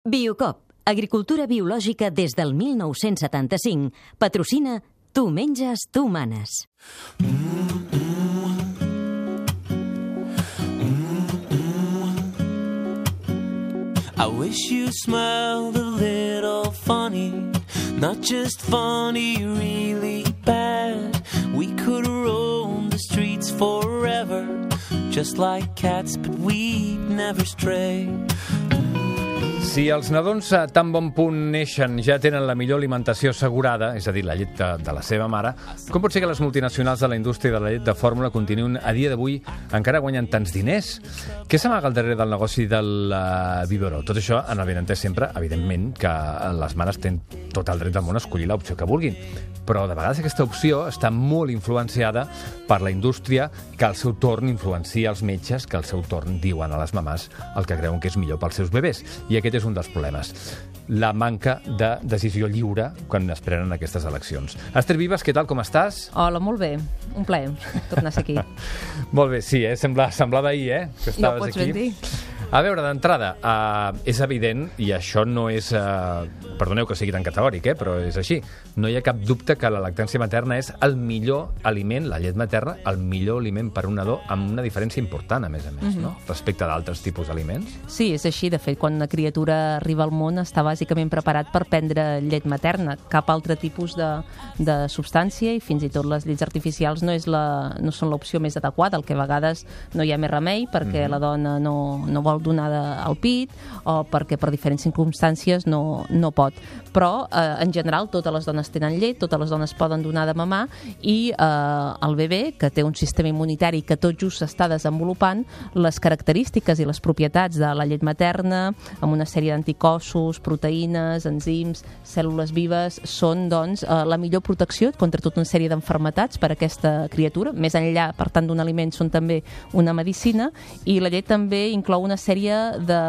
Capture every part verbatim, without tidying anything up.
Biocop, agricultura biològica des del mil nou-cents setanta-cinc, patrocina Tu menges, tu manes. I wish you smiled a little funny, not just funny, really bad. We could roam the streets forever, just like cats, but we'd never stray. Si els nadons a tan bon punt neixen ja tenen la millor alimentació assegurada, és a dir, la llet de, de la seva mare, com pot ser que les multinacionals de la indústria de la llet de fórmula continuïn a dia d'avui encara guanyant tants diners? Què s'amaga al darrere del negoci del uh, biberó? Tot això en el benentès sempre, evidentment, que les mares tenen tot el dret del món a escollir l'opció que vulguin. Però de vegades aquesta opció està molt influenciada per la indústria, que al seu torn influencia els metges, que al seu torn diuen a les mamàs el que creuen que és millor pels seus bebès. I aquest és un dels problemes, la manca de decisió lliure quan es prenen aquestes eleccions. Esther Vives, què tal, com estàs? Hola, molt bé. Un plaer tornar a ser aquí. Molt bé, sí, eh? Sembla, semblava ahir, eh? Que estaves no ho pots aquí. ben dir. A veure, d'entrada, uh, és evident, i això no és... Uh, perdoneu que sigui tan categòric, eh? Però és així. No hi ha cap dubte que la lactància materna és el millor aliment, la llet materna, el millor aliment per a un nadó, amb una diferència important, a més a més, mm-hmm. no? Respecte d'altres tipus d'aliments. Sí, és així. De fet, quan una criatura arriba al món està bàsicament preparat per prendre llet materna. Cap altre tipus de, de substància, i fins i tot les llets artificials no, és la, no són l'opció més adequada. El que a vegades no hi ha més remei perquè mm-hmm. la dona no, no vol donada al pit o perquè per diferents circumstàncies no, no pot. Però, eh, en general, totes les dones tenen llet, totes les dones poden donar de mamar i eh, el bebè, que té un sistema immunitari que tot just s'està desenvolupant, les característiques i les propietats de la llet materna, amb una sèrie d'anticossos, proteïnes, enzims, cèl·lules vives, són, doncs, eh, la millor protecció contra tota una sèrie d'enfermetats per a aquesta criatura. Més enllà, per tant, d'un aliment, són també una medicina, i la llet també inclou una sèrie de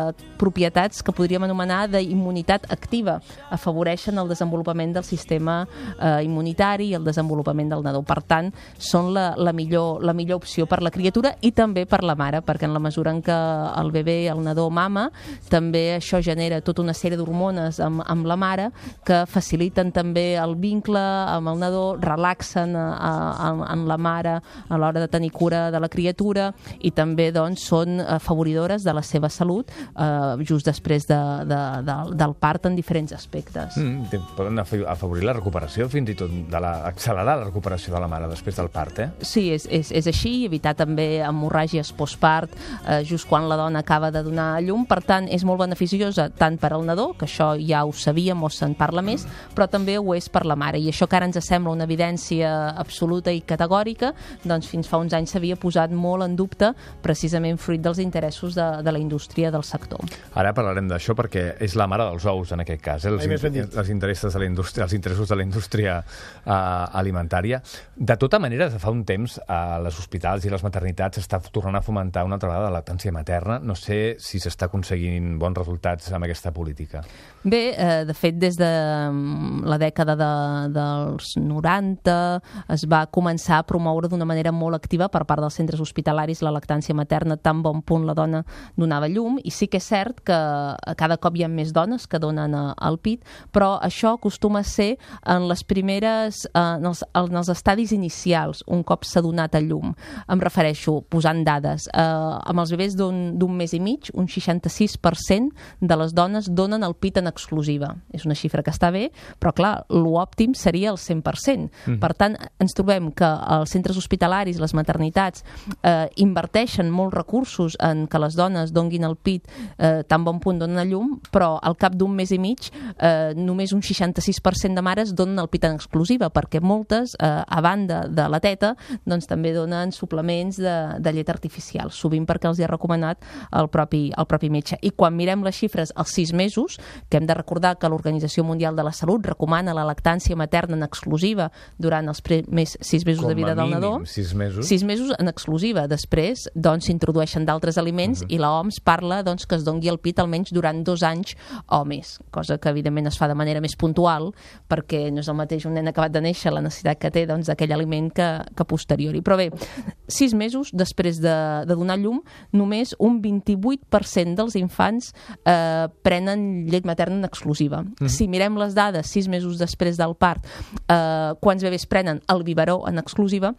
propietats que podríem anomenar d'immunitat activa. Afavoreixen el desenvolupament del sistema eh, immunitari i el desenvolupament del nadó. Per tant, són la, la, millor, la millor opció per la criatura i també per la mare, perquè en la mesura en què el bebè, el nadó mama, també això genera tota una sèrie d'hormones amb, amb la mare que faciliten també el vincle amb el nadó, relaxen a, a, en la mare a l'hora de tenir cura de la criatura i també, doncs, són afavoridores de la seva salut eh, just després de, de, de, del part en diferents aspectes. Mm, poden afavorir la recuperació, fins i tot de la, accelerar la recuperació de la mare després del part, eh? Sí, és, és, és així, evitar també hemorràgies postpart eh, just quan la dona acaba de donar a llum. Per tant, és molt beneficiosa tant per al nadó, que això ja ho sabíem o se'n parla més, però també ho és per la mare. I això que ara ens sembla una evidència absoluta i categòrica, doncs fins fa uns anys s'havia posat molt en dubte, precisament fruit dels interessos de, de la indústria del sector. Ara parlarem d'això perquè és la mare dels ous en aquest cas, eh? els, in els, interessos de la indústria, els interessos de la indústria uh, alimentària. De tota manera, de fa un temps a les hospitals i les maternitats s'està tornant a fomentar una altra vegada la lactància materna. No sé si s'està aconseguint bons resultats amb aquesta política. Bé, eh, de fet, des de la dècada de, dels noranta es va començar a promoure d'una manera molt activa per part dels centres hospitalaris la lactància materna, tan bon punt la dona donava llum, i sí que és cert que cada cop hi ha més dones que donen al pit, però això acostuma a ser en les primeres, en els, en els estadis inicials, un cop s'ha donat a llum. Em refereixo, posant dades, eh, amb els bebès d'un mes i mig, un seixanta-sis per cent de les dones donen el pit en exclusiva. És una xifra que està bé, però clar, l'òptim seria el cent per cent. Mm. Per tant, ens trobem que els centres hospitalaris, les maternitats, eh, inverteixen molts recursos en que les dones donguin el pit eh, tan bon punt donen a llum, però al cap d'un mes i mig eh, només un seixanta-sis per cent de mares donen el pit en exclusiva, perquè moltes, eh, a banda de la teta, doncs també donen suplements de, de llet artificial, sovint perquè els hi ha recomanat el propi, el propi metge. I quan mirem les xifres als sis mesos, que hem de recordar que l'Organització Mundial de la Salut recomana la lactància materna en exclusiva durant els primers sis mesos Com de vida del nadó. sis mesos. Sis mesos en exclusiva. Després, doncs, s'introdueixen d'altres aliments uh -huh. i l'O M S parla doncs, que es dongui el pit almenys durant dos anys o més, cosa que evidentment es fa de manera més puntual, perquè no és el mateix un nen acabat de néixer, la necessitat que té doncs, d'aquell aliment que, que posteriori. Però bé, sis mesos després de, de donar llum, només un vint-i-vuit per cent dels infants eh, prenen llet materna en exclusiva. Mm-hmm. Si mirem les dades sis mesos després del part, eh, quants bebès prenen el biberó en exclusiva,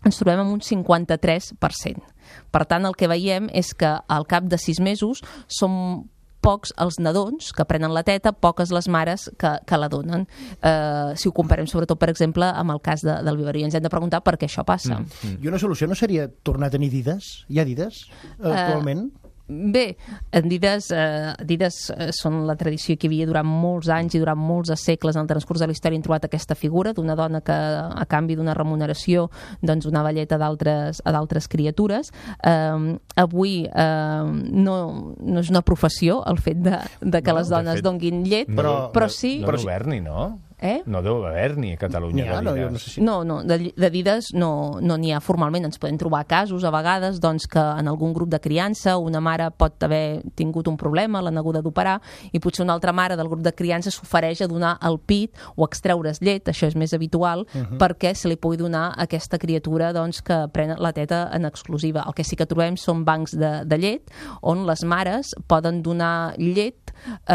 ens trobem amb un cinquanta-tres per cent. Per tant, el que veiem és que al cap de sis mesos són pocs els nadons que prenen la teta, poques les mares que, que la donen. Eh, si ho comparem, sobretot, per exemple, amb el cas de, del biberó. I ens hem de preguntar per què això passa. Mm, mm. I una solució no seria tornar a tenir Adidas? Hi ha Adidas actualment? Uh... Bé, Adidas, eh, Adidas eh, són la tradició que hi havia durant molts anys i durant molts segles en el transcurs de la història. Han trobat aquesta figura d'una dona que a canvi d'una remuneració doncs donava llet a d'altres a d'altres criatures. Eh, avui eh, no, no és una professió el fet de, de que no, les dones fet, donguin llet, no, però, però no, sí... No deu haver-ni, no? Eh? No deu haver-n'hi a Catalunya ha, no, d'Adidas. No, sé si... no, no, d'Adidas no n'hi no ha formalment. Ens podem trobar casos a vegades doncs, que en algun grup de criança una mare pot haver tingut un problema, l'han haguda d'operar, i potser una altra mare del grup de criança s'ofereix a donar el pit o extreure's llet, això és més habitual, uh -huh. perquè se li pugui donar a aquesta criatura doncs, que pren la teta en exclusiva. El que sí que trobem són bancs de, de llet on les mares poden donar llet eh,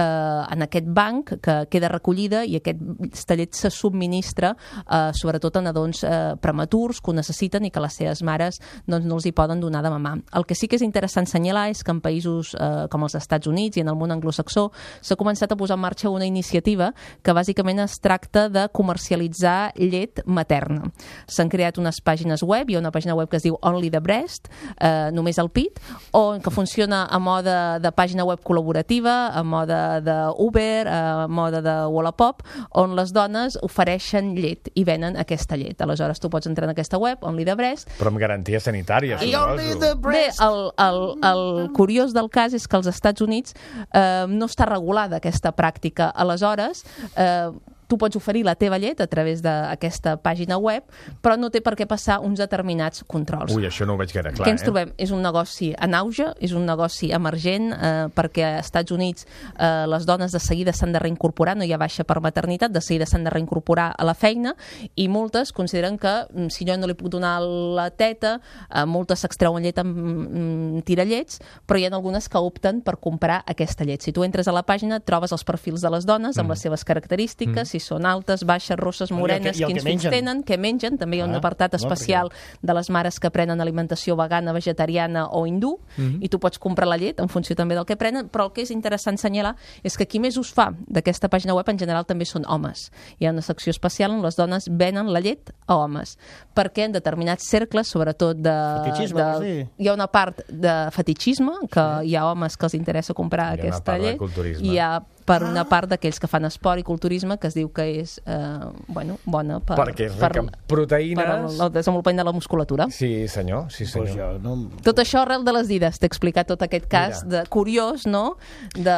en aquest banc que queda recollida, i aquesta llet se subministra eh, sobretot a nadons eh, prematurs que ho necessiten i que les seves mares doncs, no els hi poden donar de mamar. El que sí que és interessant assenyalar és que en països eh, com els Estats Units i en el món anglosaxó s'ha començat a posar en marxa una iniciativa que bàsicament es tracta de comercialitzar llet materna. S'han creat unes pàgines web, hi ha una pàgina web que es diu Only the Breast, eh, només el pit, on que funciona a mode de pàgina web col·laborativa, a mode d'Uber, a mode de Wallapop, on les dones ofereixen llet i venen aquesta llet. Aleshores, tu pots entrar en aquesta web, Only the Breast. Però amb garantia sanitària, suposo. Bé, el, el, el curiós del cas és que als Estats Units eh, no està regulada aquesta pràctica. Aleshores, eh, tu pots oferir la teva llet a través d'aquesta pàgina web, però no té per què passar uns determinats controls. Ui, això no ho veig gaire clar, Què ens eh? trobem? És un negoci en auge, és un negoci emergent, eh, perquè als Estats Units eh, les dones de seguida s'han de reincorporar, no hi ha baixa per maternitat, de seguida s'han de reincorporar a la feina, i moltes consideren que si jo no li puc donar la teta, eh, moltes s'extreuen llet amb mm, tirallets, però hi ha algunes que opten per comprar aquesta llet. Si tu entres a la pàgina, trobes els perfils de les dones amb mm. les seves característiques, mm. si són altes, baixes, rosses, morenes, quins fills tenen, què mengen. També hi ha un apartat especial de les mares que prenen alimentació vegana, vegetariana o hindú, mm-hmm. i tu pots comprar la llet en funció també del que prenen, però el que és interessant assenyalar és que qui més us fa d'aquesta pàgina web en general també són homes. Hi ha una secció especial on les dones venen la llet a homes, perquè en determinats cercles, sobretot de... Fetichisme, de sí. Hi ha una part de fetichisme, que sí. hi ha homes que els interessa comprar hi aquesta llet, i hi ha per una part d'aquells que fan esport i culturisme, que es diu que és eh, bueno, bona per, perquè és rica en proteïnes, per el, el desenvolupament de la musculatura. Sí, senyor, sí, senyor. Pues jo, no... Tot això arrel de les Adidas, t'he explicat tot aquest cas de, curiós, no? De,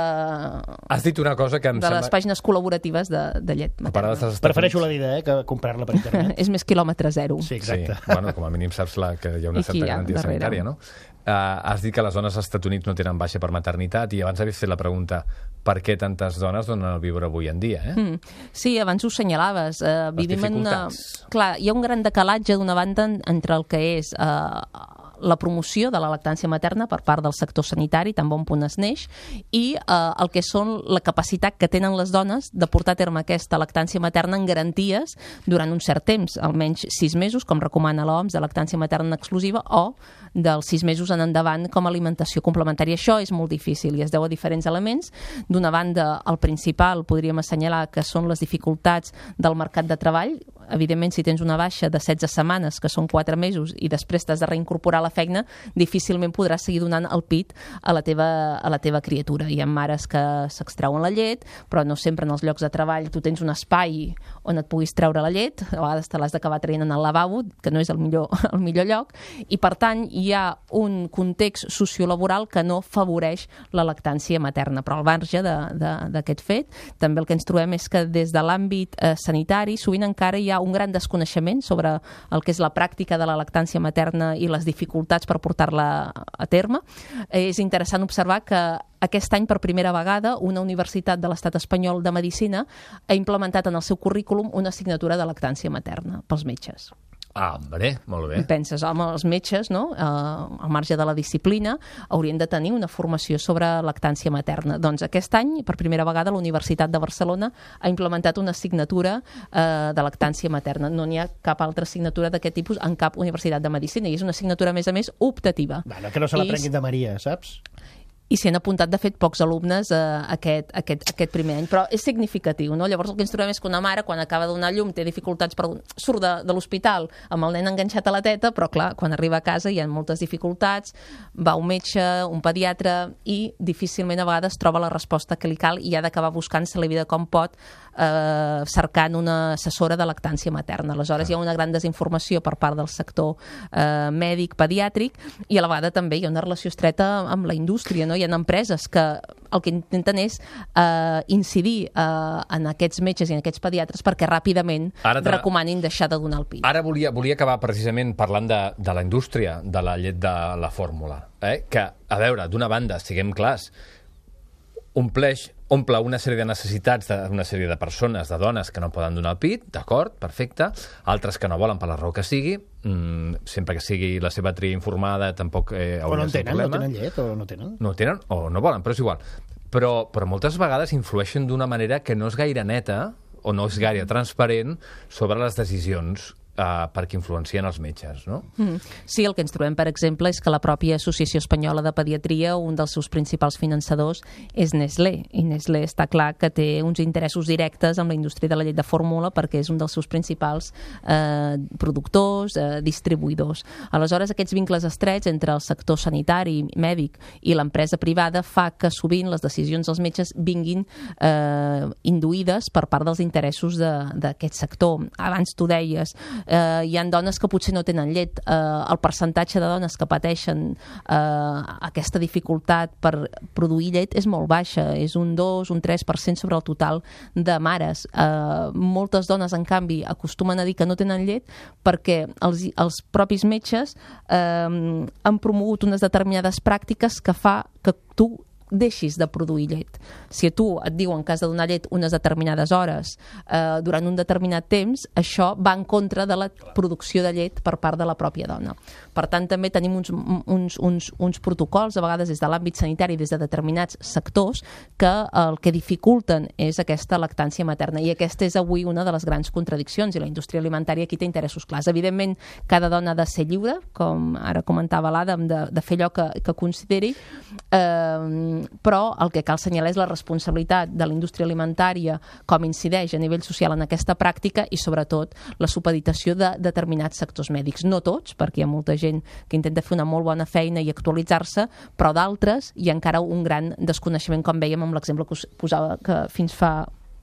Has dit una cosa que em de sembla... les pàgines col·laboratives de, de llet materna. Prefereixo la Dida, eh, que comprar-la per internet. És més quilòmetre zero. Sí, exacte. Sí. Bueno, com a mínim saps la, que hi ha una certa garantia sanitària, no? Uh, has dit que les dones als Estats Units no tenen baixa per maternitat, i abans havies fet la pregunta per què tantes dones donen el biberó avui en dia, eh? Mm. Sí, abans ho senyalaves. Uh, vivim en una... Clar, hi ha un gran decalatge d'una banda entre el que és uh, la promoció de la lactància materna per part del sector sanitari, tan bon punt es neix, i eh, el que són la capacitat que tenen les dones de portar a terme aquesta lactància materna en garanties durant un cert temps, almenys sis mesos, com recomana l'O M S, de lactància materna exclusiva, o dels sis mesos en endavant com a alimentació complementària. Això és molt difícil i es deu a diferents elements. D'una banda, el principal podríem assenyalar que són les dificultats del mercat de treball. Evidentment, si tens una baixa de setze setmanes, que són quatre mesos, i després t'has de reincorporar a la feina, difícilment podràs seguir donant el pit a la teva, a la teva criatura. Hi ha mares que s'extreuen la llet, però no sempre en els llocs de treball tu tens un espai on et puguis treure la llet, a vegades te l'has d'acabar traient en el lavabo, que no és el millor, el millor lloc, i per tant hi ha un context sociolaboral que no favoreix la lactància materna. Però al marge d'aquest fet, també el que ens trobem és que des de l'àmbit eh, sanitari sovint encara hi ha ha un gran desconeixement sobre el que és la pràctica de la lactància materna i les dificultats per portar-la a terme. És interessant observar que aquest any, per primera vegada, una universitat de l'Estat espanyol de Medicina ha implementat en el seu currículum una assignatura de lactància materna pels metges. Ah, hombre, molt bé. I penses, home, els metges, no? eh, al marge de la disciplina, haurien de tenir una formació sobre lactància materna. Doncs aquest any, per primera vegada, la Universitat de Barcelona ha implementat una assignatura eh, de lactància materna. No n'hi ha cap altra assignatura d'aquest tipus en cap universitat de medicina, i és una assignatura, a més a més, optativa. Bueno, que no se la prenguin de Maria, saps? I s'hi han apuntat, de fet, pocs alumnes eh, aquest, aquest, aquest primer any. Però és significatiu, no? Llavors el que ens trobem és que una mare, quan acaba de donar llum, té dificultats, per... surt de, de l'hospital amb el nen enganxat a la teta, però clar, quan arriba a casa hi ha moltes dificultats, va un metge, un pediatre, i difícilment a vegades troba la resposta que li cal i ha d'acabar buscant-se la vida com pot, eh, cercant una assessora de lactància materna. Aleshores hi ha una gran desinformació per part del sector eh, mèdic, pediàtric, i a la vegada també hi ha una relació estreta amb la indústria, no? Hi ha empreses que el que intenten és eh, incidir eh, en aquests metges i en aquests pediatres perquè ràpidament te... recomanin deixar de donar el pit. Ara volia, volia acabar precisament parlant de, de la indústria de la llet de la fórmula. Eh? Que, a veure, d'una banda, siguem clars, ompleix, omple una sèrie de necessitats d'una sèrie de persones, de dones que no poden donar el pit, d'acord, perfecte, altres que no volen per la raó que sigui, mm, sempre que sigui la seva tria informada, tampoc eh, hauria de ser un problema. O no tenen llet, o no tenen. No tenen, o no volen, però és igual. Però, però moltes vegades influeixen d'una manera que no és gaire neta, o no és gaire transparent, sobre les decisions Uh, perquè influencien els metges, no? Mm. Sí, el que ens trobem, per exemple, és que la pròpia Associació Espanyola de Pediatria, un dels seus principals finançadors és Nestlé, i Nestlé està clar que té uns interessos directes amb la indústria de la llet de fórmula perquè és un dels seus principals eh, productors, eh, distribuïdors. Aleshores, aquests vincles estrets entre el sector sanitari, mèdic i l'empresa privada fa que sovint les decisions dels metges vinguin eh, induïdes per part dels interessos d'aquest sector. Abans tu deies, Uh, hi ha dones que potser no tenen llet. Uh, el percentatge de dones que pateixen uh, aquesta dificultat per produir llet és molt baixa, és un dos, un tres per cent sobre el total de mares. Uh, moltes dones, en canvi, acostumen a dir que no tenen llet perquè els, els propis metges uh, han promogut unes determinades pràctiques que fa que tu deixis de produir llet. Si a tu et diuen que has de donar llet unes determinades hores eh, durant un determinat temps, això va en contra de la producció de llet per part de la pròpia dona. Per tant, també tenim uns, uns, uns, uns protocols, a vegades des de l'àmbit sanitari, des de determinats sectors, que el que dificulten és aquesta lactància materna. I aquesta és avui una de les grans contradiccions, i la indústria alimentària aquí té interessos clars. Evidentment, cada dona ha de ser lliure, com ara comentava l'Adam, de, de fer allò que, que consideri, eh, però el que cal assenyalar és la responsabilitat de la indústria alimentària, com incideix a nivell social en aquesta pràctica, i sobretot la supeditació de determinats sectors mèdics. No tots, perquè hi ha molta gent que intenta fer una molt bona feina i actualitzar-se, però d'altres hi ha encara un gran desconeixement, com veiem amb l'exemple que us posava, que fins fa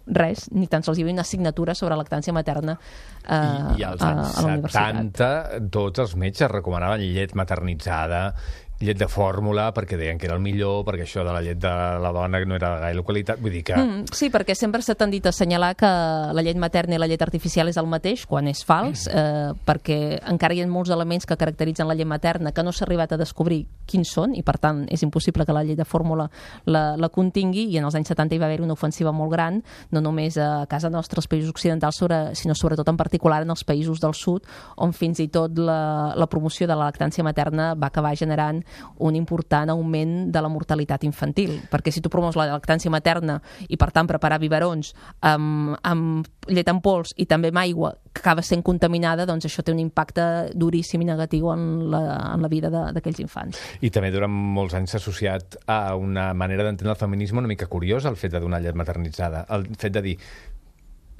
res, ni tan sols hi havia una assignatura sobre lactància materna eh, I, i als a, anys a la universitat. setanta tots els metges recomanaven llet maternitzada, llet de fórmula, perquè deien que era el millor, perquè això de la llet de la dona no era de gaire qualitat, vull dir que... Mm, sí, perquè sempre s'ha tendit a assenyalar que la llet materna i la llet artificial és el mateix, quan és fals, eh, perquè encara hi ha molts elements que caracteritzen la llet materna que no s'ha arribat a descobrir quins són, i per tant és impossible que la llet de fórmula la, la contingui, i en els anys setanta hi va haver una ofensiva molt gran, no només a casa nostra, als països occidentals, sobre, sinó sobretot en particular en els països del sud, on fins i tot la, la promoció de la lactància materna va acabar generant un important augment de la mortalitat infantil, perquè si tu promous la lactància materna i per tant preparar biberons amb, amb llet en pols i també amb aigua que acaba sent contaminada, doncs això té un impacte duríssim i negatiu en la, en la vida d'aquells infants. I també durant molts anys s'ha associat a una manera d'entendre el feminisme una mica curiosa, el fet de donar llet maternitzada, el fet de dir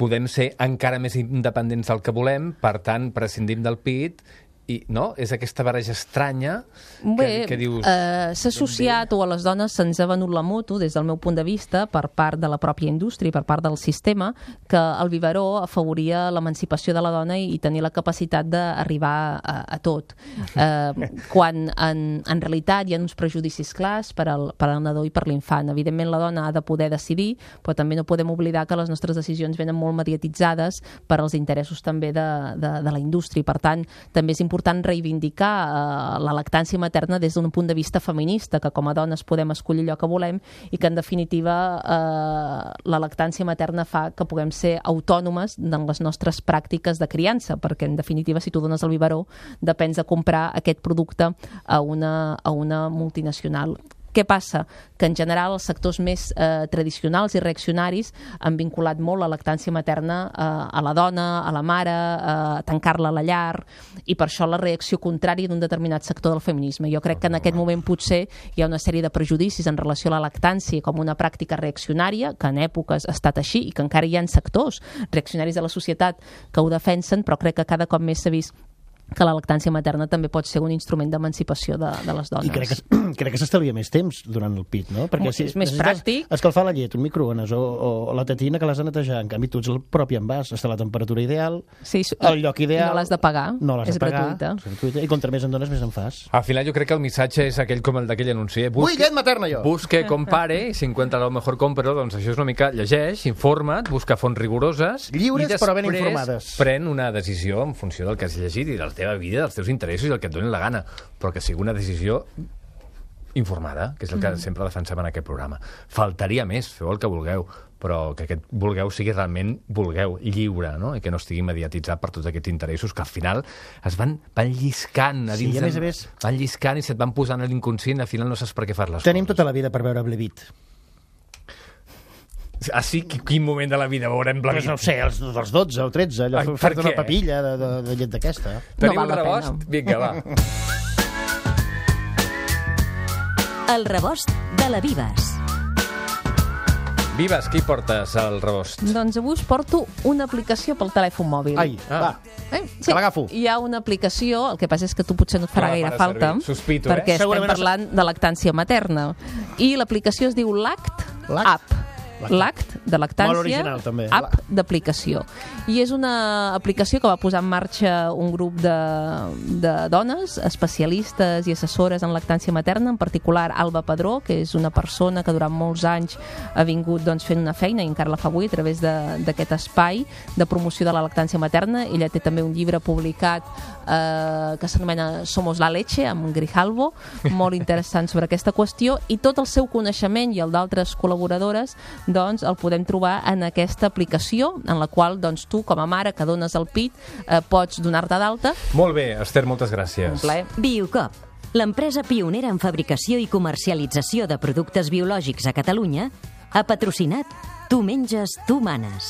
podem ser encara més independents del que volem, per tant prescindim del pit i, no? És aquesta barreja estranya Bé, que, que dius... eh, s'ha associat, o a les dones se'ns ha venut la moto, des del meu punt de vista, per part de la pròpia indústria i per part del sistema, que el biberó afavoria l'emancipació de la dona i tenir la capacitat d'arribar a, a tot. Eh, quan en, en realitat hi ha uns prejudicis clars per al, per al nadó i per l'infant. Evidentment la dona ha de poder decidir, però també no podem oblidar que les nostres decisions venen molt mediatitzades per als interessos també de, de, de la indústria. I per tant, també és important important reivindicar eh, la lactància materna des d'un punt de vista feminista, que com a dones podem escollir allò que volem i que en definitiva eh, la lactància materna fa que puguem ser autònomes en les nostres pràctiques de criança, perquè en definitiva si tu dones el biberó depens de comprar aquest producte a una, a una multinacional. Què passa? Que en general els sectors més eh, tradicionals i reaccionaris han vinculat molt la lactància materna eh, a la dona, a la mare, eh, a tancar-la a la llar, i per això la reacció contrària d'un determinat sector del feminisme. Jo crec que en aquest moment potser hi ha una sèrie de prejudicis en relació a la lactància com una pràctica reaccionària, que en èpoques ha estat així i que encara hi ha sectors reaccionaris de la societat que ho defensen, però crec que cada cop més s'ha vist que la lactància materna també pot ser un instrument d'emancipació de, de les dones. I crec que, crec que s'estalvia més temps durant el pit, no? Perquè si és més pràctic. Escalfar la llet, un microones o, o la tetina que l'has de netejar, en canvi tu ets el propi envàs, està a la temperatura ideal, sí, el lloc ideal... No l'has de pagar, no l'has és de pagar, gratuïta. És gratuïta. I contra més en dones, més en fas. Al final jo crec que el missatge és aquell com el d'aquell anunci. Eh? Busque, Vull llet materna, jo! Busque, compare, i si encuentra lo mejor compro, doncs això és una mica llegeix, informa't, busca fonts rigoroses... Lliures i però ben informades. Pren una decisió en funció del que has llegit i de la teva vida, dels teus interessos i el que et donin la gana, però que sigui una decisió informada, que és el que mm. sempre defensem en aquest programa. Faltaria més, feu el que vulgueu, però que aquest vulgueu sigui realment vulgueu, lliure, no? I que no estigui mediatitzat per tots aquests interessos que al final es van, van lliscant a dins, sí, a més a més, van lliscant i se't van posant a l'inconscient i al final no saps per què fas les tenim coses. Tota la vida per veure Blevit. Ah, sí? Quin moment de la vida veurem Blevit? Pues no sé, els, els dotze o tretze, allò, fer una papilla de, de, de llet d'aquesta. Tenim no el rebost? Vinga, va. El rebost de la Vives. Vives, qui portes al rebost? Doncs avui us porto una aplicació pel telèfon mòbil. Ai, ah. va. Eh? Sí, que l'agafo. hi ha una aplicació, el que passa és que tu potser no et farà No la gaire farà falta, servir. Sospito, perquè eh? estem Segurament parlant de lactància materna. I l'aplicació es diu Lact Lact? App. Lact, de lactància, Molt original, també. app d'aplicació. I és una aplicació que va posar en marxa un grup de, de dones, especialistes i assessores en lactància materna, en particular Alba Padró, que és una persona que durant molts anys ha vingut doncs, fent una feina, i encara la fa avui, a través d'aquest espai de promoció de la lactància materna. Ella té també un llibre publicat eh, que s'anomena Somos la leche, amb Grijalvo, molt interessant sobre aquesta qüestió, i tot el seu coneixement i el d'altres col·laboradores doncs el podem trobar en aquesta aplicació, en la qual doncs, tu, com a mare que dones el pit, eh, pots donar-te d'alta. Molt bé, Esther, moltes gràcies. Un plaer. Biocop, l'empresa pionera en fabricació i comercialització de productes biològics a Catalunya, ha patrocinat Tu menges, tu manes.